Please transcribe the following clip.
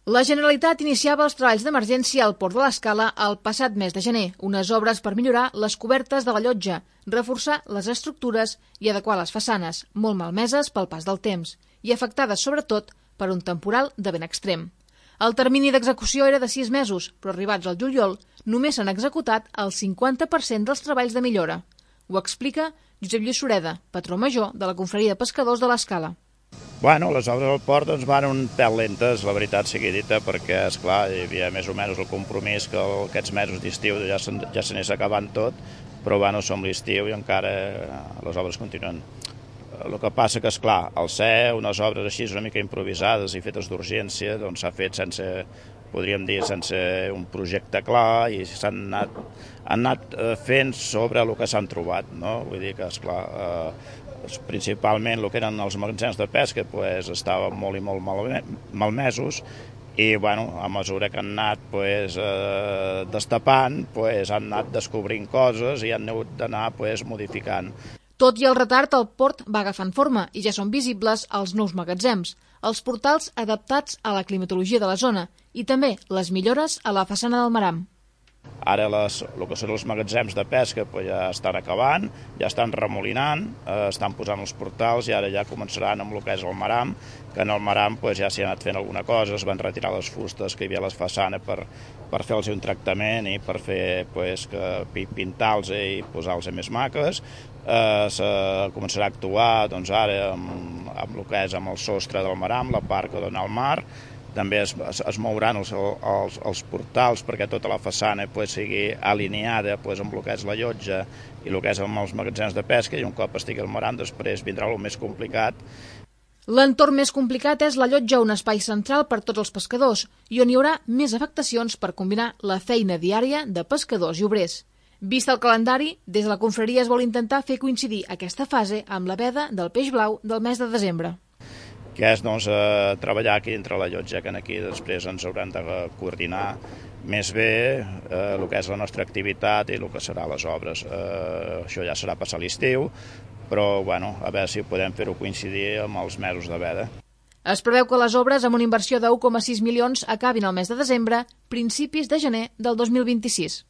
La Generalitat iniciava els treballs d'emergència al Port de l'Escala el passat mes de gener, unes obres per millorar les cobertes de la llotja, reforçar les estructures i adequar les façanes, molt malmeses pel pas del temps, i afectades sobretot per un temporal de vent extrem. El termini d'execució era de 6 mesos, però arribats al juliol només s'han executat el 50% dels treballs de millora. Ho explica Josep Lluís Sureda, patró major de la Confraria de Pescadors de l'Escala. Bueno, les obres del port van un pèl lentes, la veritat sigui dita, perquè, esclar, hi havia més o menys el compromís que aquests mesos d'estiu ja s'anés acabant tot, però bueno, som l'estiu i encara les obres continuen. El que passa que, esclar, al ser unes obres així una mica improvisades i fetes d'urgència, doncs s'ha fet sense, podríem dir, sense un projecte clar i s'han anat fent sobre el que s'han trobat, no? Vull dir que, esclar, principalment el que eren els magatzems de pesca estaven molt i molt malmesos i bueno, a mesura que han anat destapant han anat descobrint coses i han hagut d'anar modificant. Tot i el retard, el port va agafant forma i ja són visibles els nous magatzems, els portals adaptats a la climatologia de la zona i també les millores a la façana del maram. Ara el que són els magatzems de pesca ja estan acabant, ja estan remolinant, estan posant els portals i ara ja començaran amb el que és el maram, que en el maram ja s'hi ha anat fent alguna cosa, es van retirar les fustes que hi havia a la façana per fer-los un tractament i per fer pintar-los i posar-los més maques. Començarà a actuar ara amb el que és amb el sostre del maram, la part que dona al mar. També es mouran els portals perquè tota la façana sigui alineada amb el que és la llotja i el que és amb els magatzems de pesca i un cop estigui el maram després vindrà el més complicat. L'entorn més complicat és la llotja, un espai central per tots els pescadors i on hi haurà més afectacions per combinar la feina diària de pescadors i obrers. Vist el calendari, des de la confraria es vol intentar fer coincidir aquesta fase amb la veda del peix blau del mes de desembre. Que és treballar aquí dintre la llotja, que aquí després ens haurem de coordinar més bé el que és la nostra activitat i el que serà les obres. Això ja serà passar l'estiu, però bueno, a veure si podem fer-ho coincidir amb els mesos de veda. Es preveu que les obres amb una inversió de 1,6 milions acabin al mes de desembre, principis de gener del 2026.